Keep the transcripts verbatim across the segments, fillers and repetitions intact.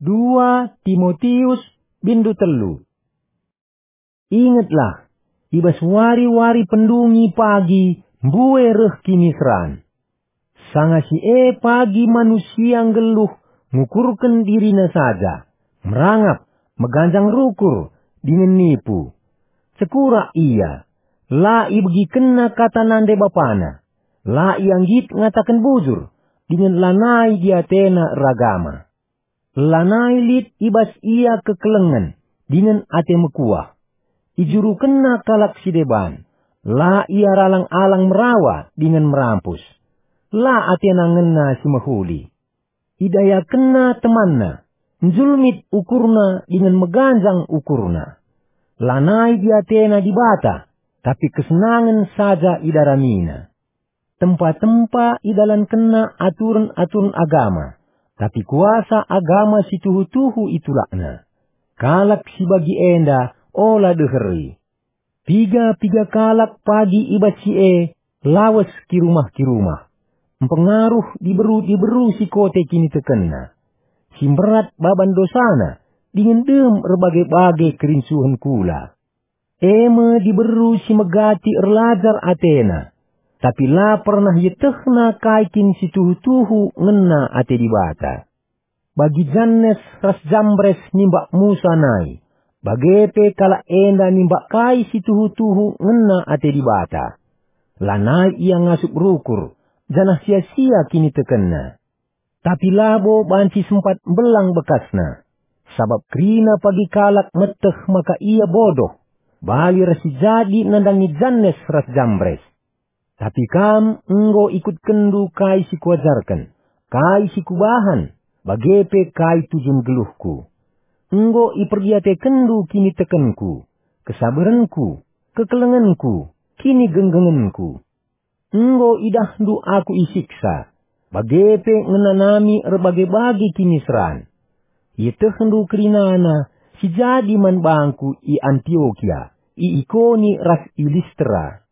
Dua Timotius, bindu telu. Ingetlah, i bas wari-wari pendungi pagi mbue reh kiniseran. Sanga si e pagi manusia nggeluh ngukurken dirina saja, merangap, meganjang rukur, dingen nipu. Cekurak ia, la ibegikenna kata nande bapana, la ia nggit ngataken bujur, dingen lanai diatena eragama. Lanai lit i bas ia kekelengen dingen ate mekuah. Ijurukenna kalak si deban, la ia ralang-alang merawa dingen merampus. La atena ngena si mehuli. Idayakenna temanna, njulmit ukurna dingen meganjang ukurna. Lanai diatena Dibata, tapi kesenangen saja idaramina. Tempa-tempa idalankenna aturen-aturen agama, tapi kuasa agama si tuhu-tuhu itulakna. Kalak si bagi enda ola deheri. Piga-piga kalak pagi i bas si e lawes kirumah-kirumah. Mpengaruh diberu-diberu si kote kinitekenna. Si mberat baban dosana, dingen dem erbage-bage kerincuhen kula. E me diberu si megati erlajar atena, tapi la pernah ietehna kai kin si tuhu-tuhu ngena ate Dibata. Bagi Jannes ras Jambres nimbak Musa nai, bage pe kalak enda nimbak kai si tuhu-tuhu ngena ate Dibata. Lanai ia ngasup rukur, janah sia-sia kinitekenna. Tapi labo banci sempat mbelang bekasna, sabap kerina pagi kalak meteh maka ia bodoh, bali ras si jadi nandangi Jannes ras Jambres. Tapi kam enggo ikutkenndu kai si kuajarken, kai si kubahan, bage pe kai tujun geluhku. Enggo iperdiatekenndu kinitekenku, kesaberenku, kekelengenku, kinigenggengenku. Enggo idahndu aku isiksa, bage pe ngenanami erbage-bage kiniseran. Ietehndu kerinana si jadi man bangku i Antiokia, i Ikoni ras i Listra.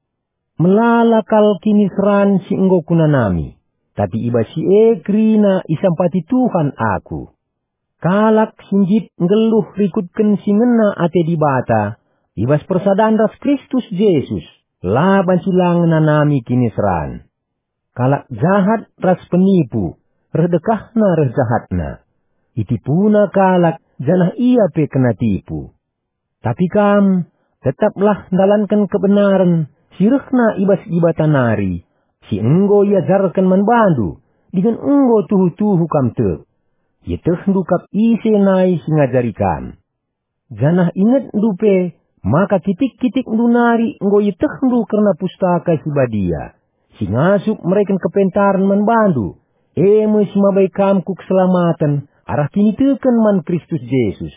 Melala kal kiniseran si enggo kunanami, tapi i bas si e kerina isampati Tuhan aku. Kalak si nggit nggeluh rikutken si ngena ate Dibata i bas persadan ras Kristus Jesus, la banci la ngenanami kiniseran. Kalak jahat ras penipu, reh dekahna reh jahatna. Itipuna kalak, janah ia pe kena tipu. Tapi kam, tetaplah ndalanken kebenaren si rehna i bas Dibata nari, si enggo iajarken man bandu, dingen enggo tuhu-tuhu kam tek. Ietehndu kap ise nai si ngajari kam. Janah ingetndu pe maka kitik-kitikndu nari enggo ietehndu kerna Pustaka Si Badia, si ngasup mereken kepentaren man bandu, e me si mabai kam ku keselamaten arah kiniteken man Kristus Jesus.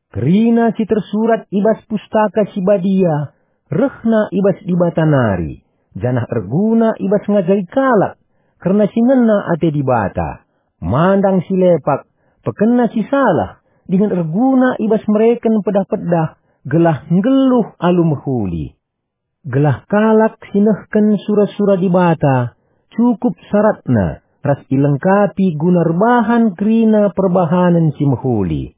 Kerina si tersurat i bas Pustaka Si Badia rehna i bas Dibata nari, janah erguna i bas ngajari kalak kerna si ngena ate Dibata, mandang si lepak, pekena si salah, dingen erguna i bas mereken pedah-pedah gelah nggeluh alu mehuli. Gelah kalak si nehken sura-sura Dibata cukup saratna ras ilengkapi guna erbahan kerina perbahanen si mehuli.